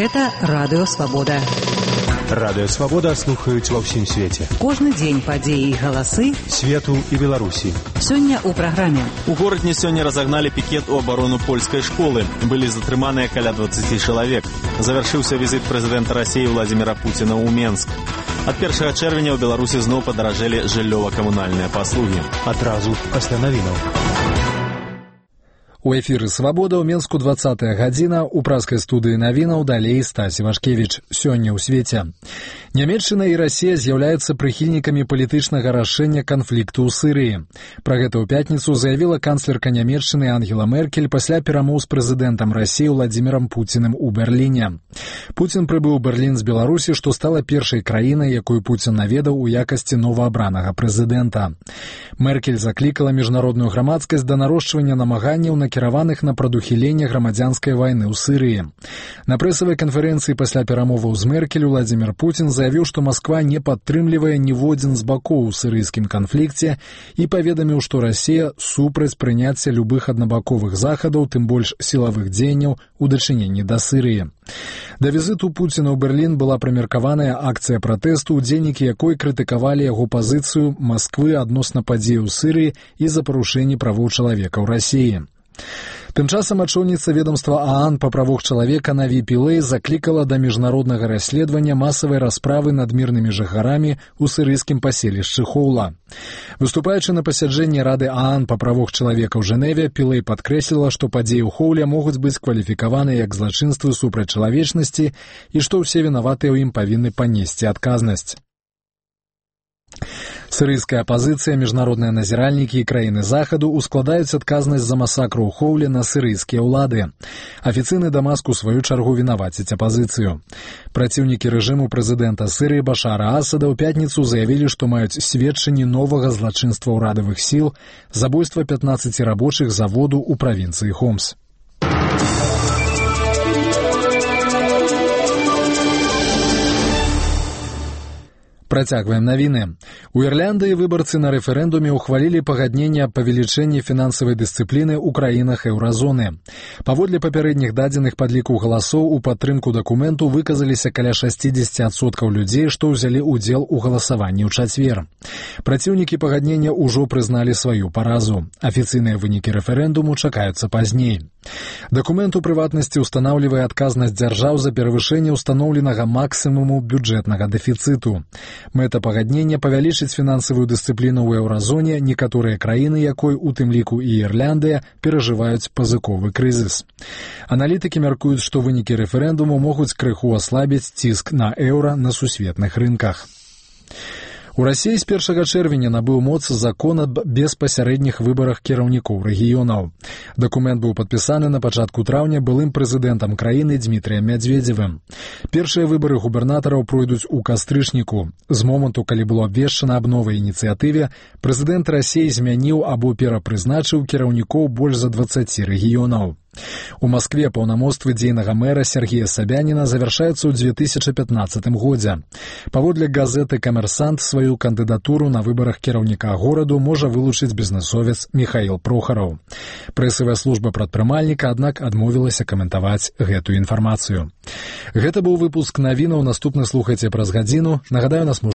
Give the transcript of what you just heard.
Гэта Радыё Свабода. Радыё Свабода слухаюць ва ўсім свеце. Кожны дзень падзеі і галасы свету і Беларусі. Сёння ў праграме. У горадні сёння разагналі пікет у абарону польскай школы. Былі затрыманыя каля 20 чалавек. Завяршыўся візіт прэзідэнта Расіі Владзіміра Пуціна ў Менск. Ад 1 чэрвеня ў Беларусі зноў падаражэлі жыллёва-камунальныя паслугі. Адразу пасля навінаў. У эфіры «Свабода» ў Менску 20-я гадзіна, у праскай студыі навінаў далей Стась Івашкевіч. Сёння ў свеце. Нямецчына і Расія з'яўляюцца прыхільнікамі палітычнага рашэння канфлікту ў Сырыі. Пра гэта ў пятніцу заявіла канцлерка Нямецчыны Ангела Меркель пасля перамоў з прэзідэнтам Расіі Владзімірам Пуціным у Берліне. Пуцін прыбыў у Берлін з Беларусі, што стала першай краінай, якую Пуцін наведаў у якасці новаабранага прэзідэнта. Меркель заклікала міжнародную грамадскасць да нарошчвання намаганняў накіраваных на прадухіленне грамадзянскай вайны ў Сырыі. На прэсавай канферэнцыі пасля перамоваў з Меркель Владзімір Пуцін заявіў, што Масква не падтрымлівае ніводзін з бакоў у сырыйскім канфлікце і паведаміў, што Расія супраць прыняцця любых аднабаковых захадаў, тым больш сілавых дзеянняў у дачыненні да Сырыі. Да візіту Пуціна ў Берлін была прымеркаваная акцыя пратэсту, удзельнікі якой крытыкавалі яго пазіцыю Масквы адносна падзей у Сырыі і за парушэнні правоў чалавека ў Расіі. Тым часам ачоўніца ведомства ААН па правах чалавека Наві Пілэй заклікала да міжнароднага расследавання масавай расправы над мірнымі жыхарамі ў сырыйскім паселішчы Хоула. Выступаючы на пасяджэнні Рады ААН па правах чалавека ў Жэневе, Пілэй падкрэсліла, што падзеі ў Хоуле могуць быць кваліфікаваны як злачынствы супраць чалавечнасці і што ўсе вінаватыя ў ім павінны панесці адказнасць. Сырыйская апазіцыя, міжнародныя назіральнікі і краіны захаду ускладаюць адказнасць за масакру ў Хоуле на сырыйскія ўлады. Афіцыйны Дамаск у сваю чаргу вінаваціць апазіцыю. Праціўнікі рэжыму прэзідэнта Сырыі Башара Асада ў пятніцу заявілі, што маюць сведчанні новага злачынства ўрадавых сіл, забойства 15 рабочых заводу ў правінцыі Хомс. Працягваем навіны. У Ірландыі выбарцы на рэферэндуме ўхвалілі пагадненне аб павелічэнні фінансавай дысцыпліны ў краінах еўразоны. Паводле папярэдніх дадзеных падліку галасоў у падтрымку дакументу выказаліся каля 60% людзей, што ўзялі ўдзел у галасаванні ў чацвер. Праціўнікі пагаднення ўжо прызналі сваю паразу. Афіцыйныя вынікі рэферэндуму чакаюцца пазней. Дакумент у прыватнасці ўстанаўлівае адказнасць дзяржаў за перавышэнне ўстаноўленага максімуму бюджэтнага дэфіцыту. Мэта пагаднення павялічыць фінансавую дысцыпліну ў еўразоне, некаторыя краіны якой, у тым ліку і Ірландыя, перажываюць пазыковы крызіс. Аналітыкі мяркуюць, што вынікі рэферэндуму могуць крыху аслабіць ціск на еўра на сусветных рынках. У Расіі з 1 чэрвеня набыў моц закон аб беспасярэдніх выбарах кіраўнікоў рэгіёнаў. Дакумент быў падпісаны на пачатку траўня былым прэзідэнтам краіны Дмітрыем Мядзведзевым. Першыя выбары губернатараў пройдуць у кастрычніку. З моманту, калі было абвешчана аб новай ініцыятыве, прэзідэнт Расіі змяніў або перапрызначыў кіраўнікоў больш за 20 рэгіёнаў. У Маскве паўнамоцтвы дзейнага мэра Сергея Сабяніна завяршаюцца ў 2015 годзе. Паводле газеты «Камерсант» сваю кандыдатуру на выбарах кіраўніка гораду можа вылучыць бізнэсовец Міхаіл Прохараў. Прэсавая служба прадпрымальніка, аднак, адмовілася каментаваць гэтую інфармацыю. Гэта быў выпуск навінаў, наступны слухайце праз гадзіну. Нагадаю, нас